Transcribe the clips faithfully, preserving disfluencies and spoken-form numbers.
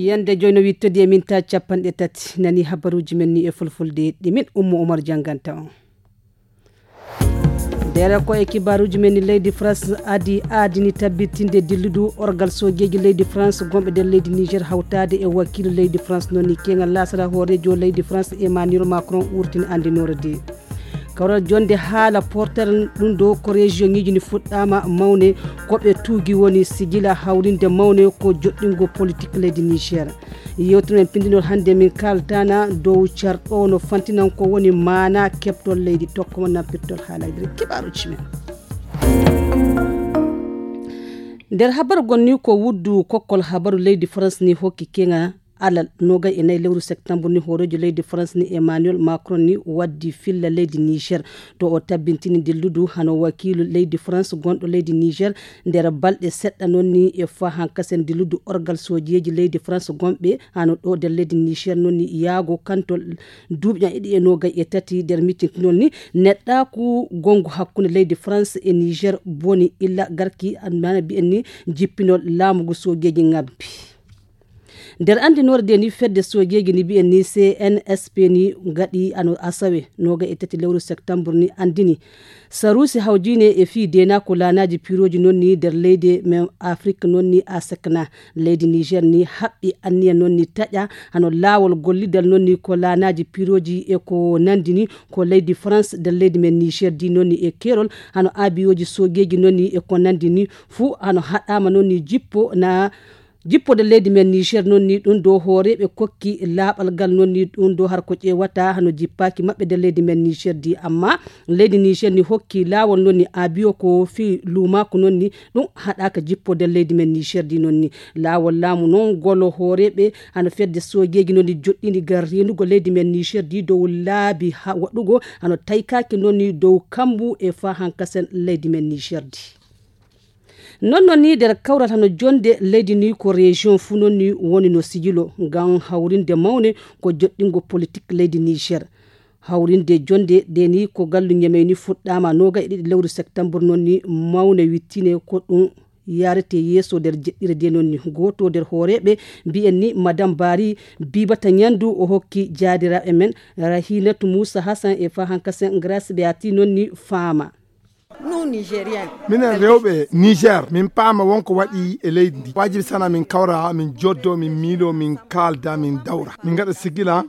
Yande joyno wittodi e minta capanɗe tati. Nani habaruji men ni e fulfulde ɗi min Ummu Umar janganta on. Dere ko e kibaruji men ni, leydi France adi aadini tabbitinde dilludu orgal sojeji leydi France gomɓe nder leydi Niger hawtade e wakilu leydi France. Noon ni keŋal lasara hoorejo leydi France Emmanuel Macron wurtini andinore de. Kawral jonde haala portere ɗum ɗo ko région ŋiji ni fuɗɗama mawne, ko ɓe tuugi woni sigila hawrinde mawne ko joɗɗingo politique leydi Niger. Yewtere men pindinol hannde min kaltana dow carɗo no fantinan ko woni maana keɓtol leydi tokko mo nampirtol haalaji nder kibaruji men. Nder habaru gonni ko wuddu kokkol habaru leydi France ni hokki keŋa alal nogay e nayi lewru septembre ni hoorejo leydi France ni Emmanuel Macron ni waddi filla leydi Niger to o tabbintini dilludu hano wakilu leydi France gonɗo leydi Niger nder balɗe seɗɗa noon ni e fa hankasen dilludu orgal sojeji leydi France gonɓe hano ɗo nder leydi Niger noon ni yaago kanto duuɓi ɗiɗi e nogay e tati nder miccintinol ni neɗɗaku gongu hakkunde leydi France e Niger boni illa garki anmana mbiyen ni jippinol laamugu sojeji ngabbi. Nder andinore de ni fedde sojeji ni mbiyen ni C N S P ni gaɗi ano asawe noga e tati lewru septembre ni andini sarusi hawjine e fii dena ko lanaji piroji noon ni nder leydi men Afrique noon ni a sekna leydi Niger ni haɓɓi anniya noon ni taƴa hano laawol gollidal noon ni ko lanaji piroji e ko nandini ko leydi France nder leydi men Niger di noon ni e kerol hano abiyoji sojeji noon ni e ko nandini fuu hano haɗama noon ni jippo na jippode leydi men Niger noon ni ɗum ɗo hooreɓe kokki laaɓal ngal noon ni ɗum ɗo har ko ƴeewata hano jippaki maɓɓe nder leydi men Niger di amma leydi Niger ni hokki laawol noon ni abiyo ko fii luumaaku noon ni ɗum haɗaka jippode leydi men Niger di noon ni laawol laamu noon golo hooreɓe hano fedde sojeji noon ni joɗɗini ngal rendugo leydi men Niger di dow laabi ha waɗugo hano taykaki noon ni dow kambu e fa hankasen leydi men Niger di. Noon noon ni nder kawral hano jonde leydi ni ko région fuu noon ni woni no sijilo ngam hawrinde mawne ko joɗɗingo politique leydi Niger. Hawrinde jonde de ni ko gallu Ñamey ni fuɗɗama noga e ɗiɗi lewru septembre noon ni mawne wittine ko ɗum yarete yeeso nder jeɗɗire de noon ni goto nder hooreɓe mbiyen ni madame Bari Bibata Ñandu o hokki jaadiraɓe men Rahinatu Moussa Hassan e fa hankasen Grace Beati noon ni faama. Nous, Nigériens. Minen rewɓe Niger, min paama wonko waɗi e leydi ndi. Wajibi sana min kawra, min joddo, min miilo, min kaalda, min dawra. Min ngaɗa sigila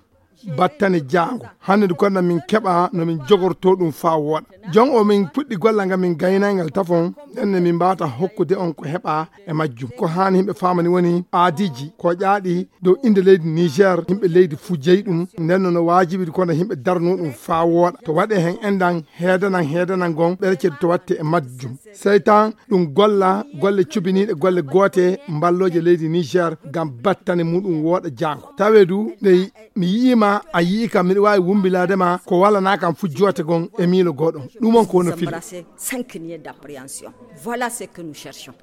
battane jaango. Hannde ndu konna min keɓa no min jogorto ɗum faa wooɗa. Jon o min puɗɗi golla nga min gaynay ngal tafon, nden ne min mbaata hokkude on ko heɓa e majjum. Ko haani yimɓe faamani woni aadiji, ko ƴaaɗi dow innde leydi Niger, yimɓe leydi fuu jeyi ɗum. Nden no, no waajibi kono yimɓe darno ɗum faa wooɗa. To waɗe hen endan, heedanan, heedanan gon, ɓerecel to watte e majjum. Sey tan ɗum golla golle cubiniiɗe, golle goote, mballooje leydi Niger ngam battane muɗum wooɗa jaango. Tawe du, nde mi yi'ima, a yi'ika, miɗo waawi wumbilaade ma ko walanaa kam fuu joote gon e miilo gooɗon. Ɗum on ko woni fili. Voilà ce que nous cherchons.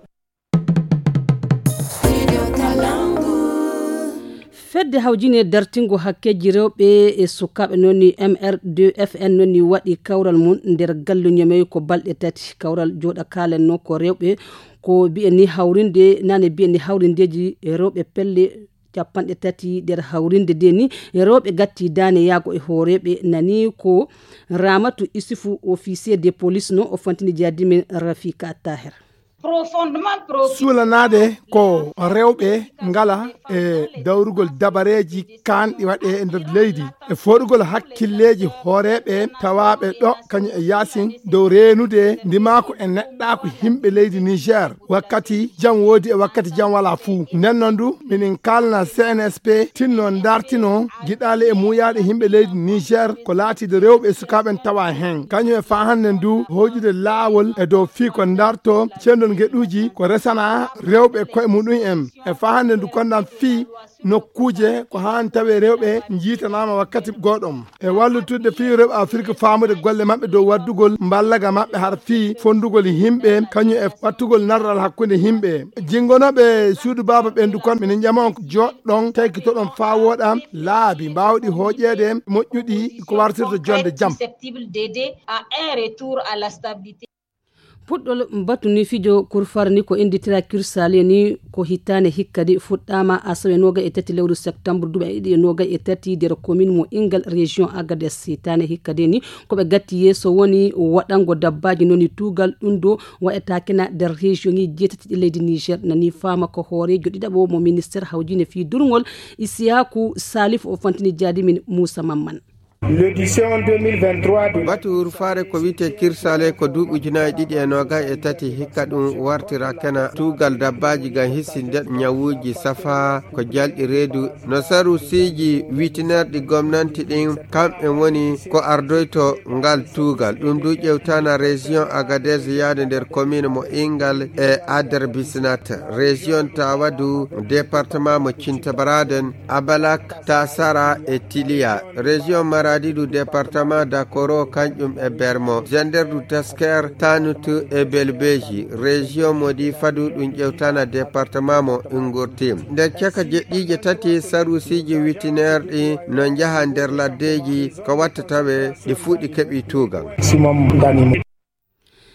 Fedde hawjine dartingo hakkeji rewɓe e sukaaɓe noon ni M R deux F N noon ni waɗi kawral mum nder gallu Ñamey ko balɗe tati. Kawral jooɗa kaalen noon ko rewɓe ko mbiyen ni hawrinde nane mbiyen ni hawrindeji rewɓe pelle capanɗe tati nder hawrinde de ni rewɓe gatti daane yaago e hooreɓe nani ko Ramatu Isufu officier de police noon o fantini jaadi men Rafika Taher. Suulanaade ko rewɓe ngala e dawrugol dabareeji kaanɗi waɗe e nder leydi e fooɗugol hakkilleeji hooreeɓe tawaaɓe ɗo kañum e yaasin dow reenude ndimaaku e neɗɗaaku yimɓe leydi Niger wakkati jam woodi e wakkati jam walaa fuu. Nden noon du minin kaalna C N S P tinno ndartino giɗaale e muuyaaɗe yimɓe leydi Niger ko laatiiɗo rewɓe e sukaaɓe en tawa heen. Kañum e faa hannden du hoyɗude laawol e dow fii ko ndarto ceendol ngeɗuuji ko resana rewɓe e koye muɗum en. E faa hannden du konndam fii nokkuuje ko haan tawee rewɓe njiitanaama wakkati gooɗom. E wallitudde fii rewɓe Afirka faamude golle maɓɓe dow waddugol mballaga maɓɓe har fii fonndugol yimɓe kañum e wattugol narral hakkunde yimɓe. Jinngonooɓe suudu baaba ɓendu kon, minen ƴama on joɗɗon, taykitoɗon faa wooɗa laabi mbaawɗi hooƴeede moƴƴuɗi ko wartirta jonde jam. Susceptible d'aider à un retour à la stabilité. Puɗɗol batu ni fijo kurfar ni ko innditira Kirsale ni ko hitaande hikka de fuɗɗaama asawe noogay e tati lewru septembre duuɓi ɗiɗi e noogay e tati nder commune mo Ingal région Agadez. Hitaande hikka de ni ko ɓe gatti yeeso woni waɗango dabbaaji noni tuugal ɗum ɗo waɗata kena nder région ŋi jeetati ɗi leydi Niger. Nani faama ko hooreejo ɗiɗaɓo mo ministère hawjine fii durngol Isiyaku Salif o fantini jaadi min Moussa Mamman. L'édition deux mille vingt-trois de batu rufaare ko wiyte Kirsale ko duuɓi ujunaaji ɗiɗi e noogay e tati hikka ɗum wartira kena tuugal dabbaaji ngam hisinde ñawuuji safa ko jalɗi reedu no sarusiiji witinerɗi gomnanti ɗin kamɓe woni ko ardoyto ngal tuugal. Ɗum du ƴewtana région Agadez yaade nder commune mo Ingal e Ader Bisnat, région Tawadu, département mo Cintabaraden, Abalak, Tasara e Tiliya, région Maradi du département d'Akoro, kanƴum e Bermo, Zender du Tasker, Tanut e Belbeji, région mo Difa du ɗum ƴewtana département mo Ingurti. Nder caka jeɗɗiije tati, sarusiiji witineerɗi no njaha nder laddeeji ko watta tawe ɗi fuɗi keɓi tuugal.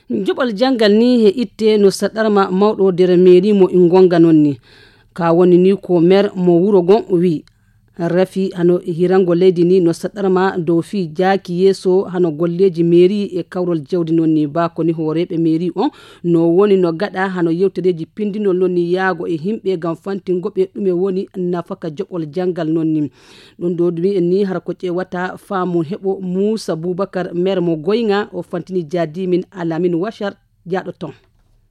Joɓol janngal ni he itte no saɗarma mawɗo nder meeri mo Ingonga noon ni. Ka woni ni ko meer mo wuro gon wi. Rafi hano hirango leydi ni no saɗarma dow fii jaaki yeeso hano golleeji meeri e kawrol jawdi noon ni. Ba ko ni hooreeɓe meeri on no woni no gaɗa hano yewtereeji pindinol noon ni yaago e himɓe ngam fantingo ɓe ɗume woni nafaka joɓol janngal noon ni. Ɗum ɗo ɗum en ni hara ko ƴeewata faamu heɓo Muusa Bubakar meer mo goyŋa o fantini jaadi min Alamin Washar jaaɗo ton.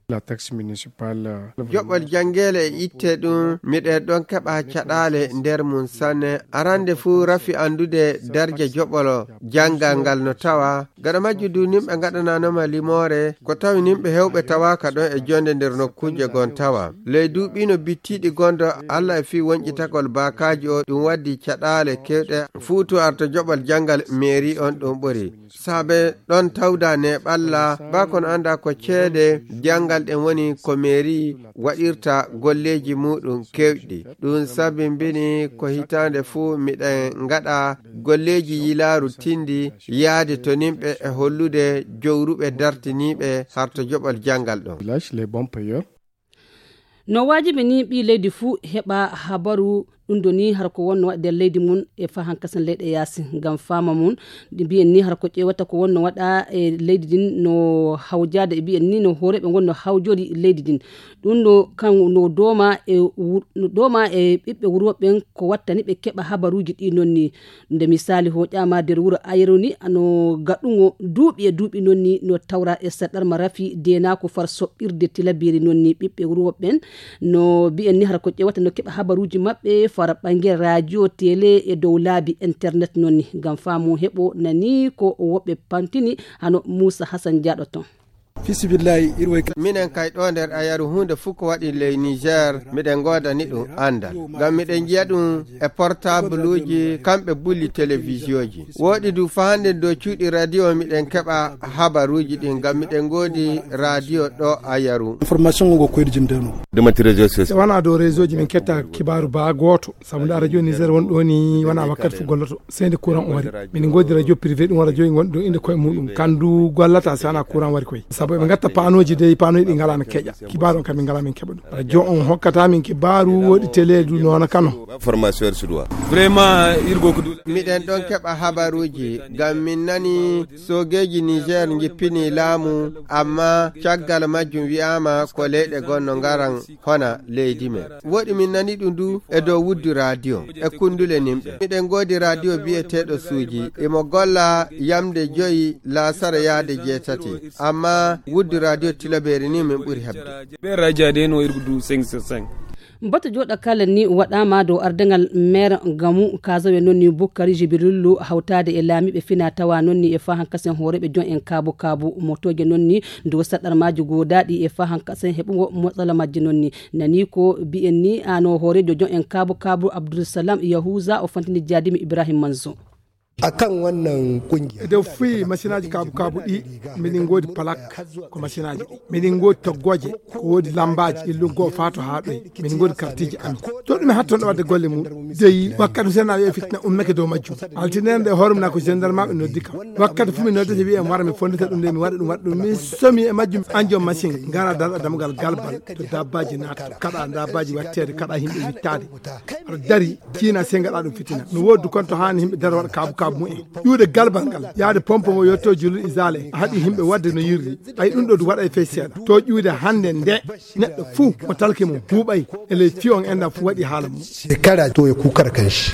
La taxe municipale. Joɓol janngeele e itte ɗum miɗen ɗon keɓa caɗaale nder mum sanne. Arande fuu rafi anndude darja joɓolo janngal ngal no tawa. Gaɗa majju du nimɓe ngaɗananoma limoore ko tawi nimɓe hewɓe tawaaka ɗon e jonde nder nokkuuje gon tawa. Ley duuɓi no bittiɗi gondo Allah e fii wonƴitagol baakaaji o ɗum waddi caɗaale kewɗe fuutu arta joɓol janngal meeri on ɗum ɓuri. Saabe ɗon tawda neeɓalla ba kon annda ko ceede janngal ɗen woni ko meeri waɗirta golleeji muɗum kewɗi. Ɗum sabimbini ko hitaande fuu miɗen ngaɗa golleeji yilaaru tindi yaade to nimɓe e hollude jowruɓe dartiniiɓe harto joɓol janngal ɗon. Village, les bons payeurs. No waajibi ni ɓii leydi fuu heɓa habaru ɗum ɗo ni hara ko wonno waɗi nder leydi mum e fahan kasen leyɗe yaasi ngam faama mum. Ɗi mbiyen ni hara ko ƴeewata ko wonno waɗa e leydi din no hawjaade e mbiyen ni no hooreeɓe ngon no hawjori leydi din. Ɗum no kan no dooma e wur- no dooma e ɓiɓɓe wuro ɓen ko wattani ɓe keɓa habaruuji ɗi noon ni. Nde misaali hoƴaama nder wuro Ayru ni no gaɗugo duuɓi e duuɓi noon ni no tawra e saɗarma rafi deenaako far soɓɓirde tilabiri noon ni ɓiɓɓe wuro ɓen no mbiyen ni hara ko ƴeewata no keɓa habaruuji maɓɓe fara ɓangel radio télé e dow laabi internet noon ni ngam faamu heɓo nani ko woɓɓe pantini hano Muusa Hasan jaaɗo ton. Fisibillahi iɗo way. Minen kay ɗo nder Ayaru huunde fof ko waɗi ley Niger miɗen ngoodani ɗum anndal ngam miɗen njiya ɗum e portabluuji kamɓe bulli televisioji. Woɗi du faande dow cuuɗi radio miɗen keɓa habaruuji ɗin ngam miɗen ngoodi radio ɗo Ayaru. Information ngo koyɗe jindeno. Ɗumati réseau social. Wona dow réseauji min ketta kibaaru ba gooto sabu nda radio Niger won ɗo ni wona wakkati fof golloto seyde courant o wari. Min ngoodi radio privé ɗum radio e gonɗo inde koye muɗum kandu gollata si wona courant wari koye sabu eɓe gatta panoji dey panoji ɗi ngala no keƴa. Kibaaru on kam min ngala min keɓa ɗum radio on hokkata min kibaaru woɗi télé du noona kano. Formation sudwa. Vraiment irgo ko dul. Miɗen ɗon keɓa habaruji ngam min nani sogeji Niger jippini laamu amma caggal majjum wi'ama ko leyɗe gonno ngaran hona leydi men. Woɗi min nani ɗum du e dow wuddu radio e kundule nimɓe. Miɗen ngoodi radio biyeteeɗo suuji imo golla yamde joyi laasara yaade jeetati. Amma wuddu radio tilaberi ni min ɓuri heɓde. Ɓe radio de no irgo du cinq sur cinq. Batu jooɗa kala ni waɗaama dow ardaŋal meer gamu kazawe noon ni Bukkari Jibirillu hawtaade e laamiiɓe fina tawa noon ni e fahan kasen hooreeɓe jon en kaabu kaabu motooje noon ni dow saɗɗar maaji goodaaɗi e fahan kasen heɓugo motsala majje noon ni. Nani ko biyen ni ano hooreejo jon en kaabu kaabu Abdulsalam Yahuza o fantini jaadimi Ibrahim Manzo. A kan wannan kungiya. E dow fii masinaaji kaabu kaabu ɗi, miɗen ngoodi palak ko masinaaji ɗi. Miɗen ngoodi toggooje ko woodi lambaaji, illun goo faa to haa ɗoy. Miɗen ngoodi kartiiji amin. To ɗume hatton ɗo waɗde golle mum. Dey wakkati Huseen Naaɓe e fitina ummake dow majjum. Altine nde hoore mum na ko gendarmaaɓe noddi kam. Wakkati fuu mi noddete wi'e mi wara mi fonndita ɗum nde mi waɗa ɗum waɗa ɗum. Mi somi e majjum an joom masin. Ngara darɗa dammugal galbal to dabbaaji naata. Kaɗa dabbaaji watteede, kaɗa yimɓe wittaade. Aɗa dari. Tiina sey ngaɗa ɗum fitina. No woodi du konto haani yimɓe dara waɗa kaabu kaabu mumen. Ƴuude galbal ngal, yaade pompo mo yotto julluɗo isaale, a haɗi yimɓe waɗde no yirri. Ay ɗum ɗo du waɗa e fey seeɗa. To ƴuude hannde nde, neɗɗo fuu mo talki mum huuɓay e ley fiyon enɗam fuu waɗi haala mum. Shekara to ya kukar kanshi.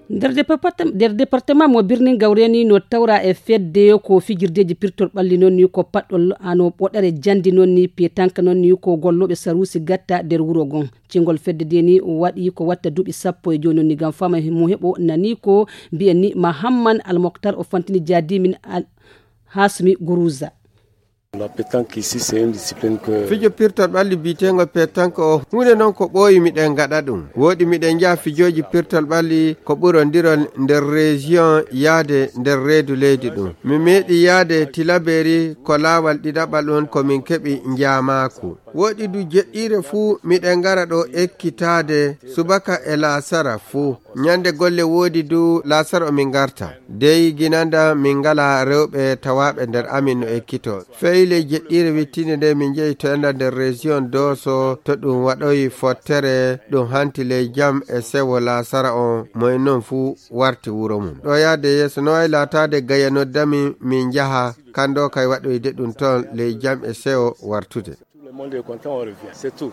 Nder departem-, nder département mo Birnin Gawre ni no tawra e fedde ko fijirdeeji pirtol ɓalli noon ni ko paɗɗol ano ɓoɗere jandi noon ni petanka noon ni ko gollooɓe saruusi gatta nder wuro gon. Cingol fedde de ni waɗi ko watta duuɓi sappo e jooni noon ni ngam fama mo heɓo nani ko mbiyen ni Mahamman Almoktar o fantini jaadimin Al-, Hasmi Guruza. La pétanque ici, c'est une discipline que... Fijo pirtol ɓalli biyeteengol pétanque o, huunde noon ko ɓooyi miɗen ngaɗa ɗum. Wooɗi miɗen njaha fijooji pirtol ɓalli ko ɓurondirol nder région yaade nder reedu leydi ɗum. Mi meeɗi yaade Tilaberi ko laawal ɗiɗaɓal on ko min keɓi njaamaaku. Wooɗi du jeɗɗiire fuu miɗen ngara ɗo ekkitaade subaka e laasara fuu. Ñande golle woodi du laasara o min ngarta. Dey ginanda min ngala rewɓe tawaaɓe nder amin no ekkito. Fey ley jeɗɗiire wittiinde nde min njehi to enda nder région Dooso to ɗum waɗoyi fottere ɗum hanti ley jam e sewo laasara on mo en non fuu warti wuro mum. Ɗo yaade yeeso no wayi laataade gaya noddami min njaha kando kay waɗoyde ɗum ton ley jam e sewo wartude. Tout le monde est content, on revient. C'est tout.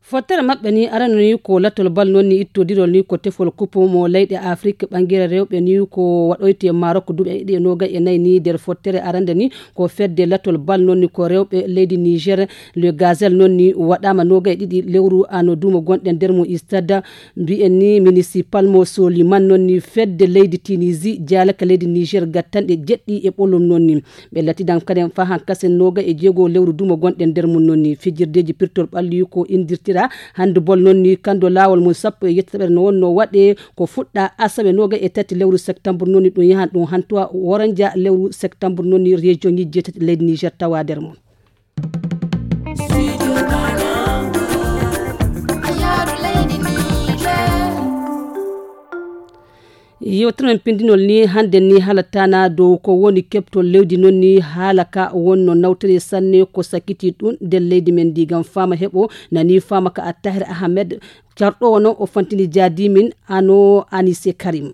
Fottere maɓɓe ni arano ni ko latol bal noon ni ittodirol ni ko tefol kupu mo leyɗe Afrik ɓangere rewɓe ni ko waɗoyte e Marok duuɓi ɗiɗi e noogay e nayi ni nder fottere arande ni ko fedde latol bal noon ni ko rewɓe leydi Niger. Le Gazelle noon ni waɗama noogay e ɗiɗi lewru ano duumo gonɗen nder mo stade mbiyen ni municipal mo Soliman noon ni fedde leydi Tunisie jaalaka leydi Niger gattanɗe jeɗɗi e ɓolum noon ni. Ɓe latidan kaden faa hankasen nooga e jeego lewru dumo gonɗen nder mum noon ni. Fijirdeeji pirtol ɓalli ko indirtira handball noon ni kando laawol mum sappo e yettitaɓere no wonno waɗe ko fuɗɗa asawe nooga e tati lewru septembre noon ni ɗum yahan ɗum hantuwa woranja lewru septembre noon ni région ñi jeetati leydi Niger tawa nder mum. Yewtere men pindinol ni hannde ni haalataana dow ko woni keɓtol leydi noon ni haala ka wonno nawtani sanne ko sakiti ɗum nder leydi men ndi ngam faama heɓo nani faama ka Attahir Ahmed carɗo wono o fantini jaadimin ano Anise Karim.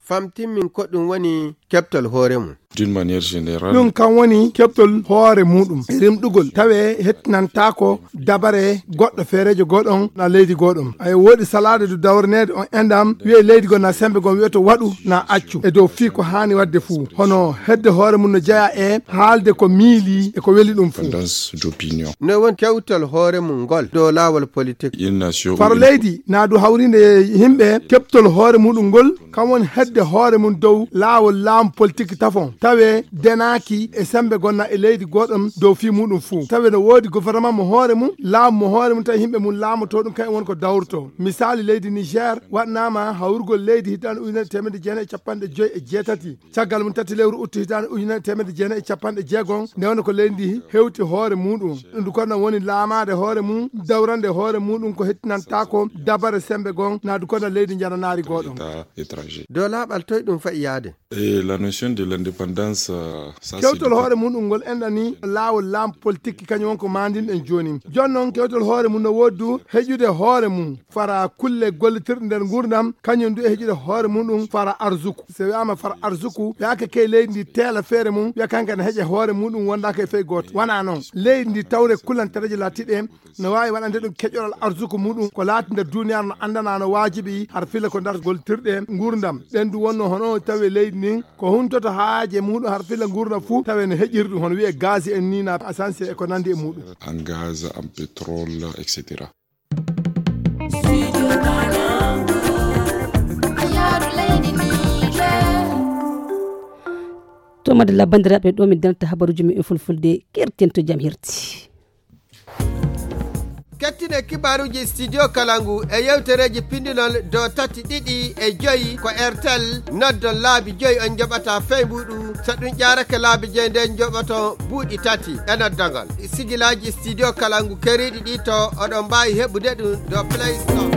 Famtinmin ko ɗum woni keɓtol hoore mum. D'une manière générale. Ɗum kan woni keɓtol hoore muɗum e rimɗugol tawe hettinantaako dabare goɗɗo feereejo gooɗon na leydi gooɗon. Ay woodi salaade du dawrineede on endam wi'e leydi goo na sembe goo wi'oto waɗu na accu e dow fii ko haani waɗde fuu. Hono hedde hoore mum no jeyaa e haalde ko miili e ko weli ɗum fuu. Indépendance d'opinion. No won kewtol hoore mum ngol dow laawol politik. Une nation. Faro leydi na du hawrinde yimɓe keɓtol hoore muɗum ngol. Kam woni hedde hoore mum dow laawol laamu politik tafon. Tawe denaaki e sembe gonna e leydi goɗɗum dow fii muɗum fuu. Tawe no woodi gouvernement mo hoore mum, laamu mo hoore mum, tawi yimɓe mum laamoto ɗum kañum woni ko dawrto. Misaali leydi Niger waɗnaama hawrugol leydi hitaande ujunere teemedde jeenayi e capanɗe joyi e jeetati. Caggal mum tati lewru uttu hitaande ujunere teemedde jeenayi e capanɗe jeegom, nde wonno ko leydi ndi hewti hoore muɗum. Ɗum du kono woni laamaade hoore mum, dawrande hoore muɗum ko hettinantaako dabare sembe gon, na du kono leydi njananaari goɗɗum. État étranger. Dow laaɓal toy ɗum fa'i yaade? Et la notion de l'indépendance, euh, ça, c'est kewtol du hoore muɗum ngol enɗani laawol laamu politik kañum won ko maandinɗen jooni. Jooni noon kewtol hoore mum no woodi du heƴude hoore mum fara kulle gollitirɗe nder nguurndam, kañum du e heƴude hoore muɗum fara arsuku. So wiyaama fara arsuku, wiyaaka kay leydi ndi teela feere mum, wiya kanka ne heƴa hoore muɗum wondaaka e fey gooto. Wanaa noon. Leydi ndi tawre kulantereeje laatiiɗe no waawi waɗande ɗum keƴoral arsuku muɗum, ko laati nder duuniyaaru no anndana no waajibi, har fila ko nder gollitirɗe nguurndam. Ɗen du wonno hono tawi leydi ndin ko huntoto haaje muɗum, har fila nguurndam fuu tawi no heƴiri ɗum, hono wi'e gaz en ni na essence e ko nanndi e muɗum. En gaz, en pétrole, et cetera. To madalla banndiraaɓe, ɗo min darnata habaruuji men e fulfulde, kerten to jam hirti. Ettine kibaaruuji studio kala ngu e yewtereeji pindinol dow tati ɗiɗi e joyi ko airtel. Noddon laabi joyi on njoɓata fey mbuɗu. So ɗum ƴaarake laabi joyi nden njoɓoto buuɗi tati e noddagol. Sigilaaji studio kala ngu keriiɗi ɗi to oɗon mbaawi heɓude ɗum dow play store.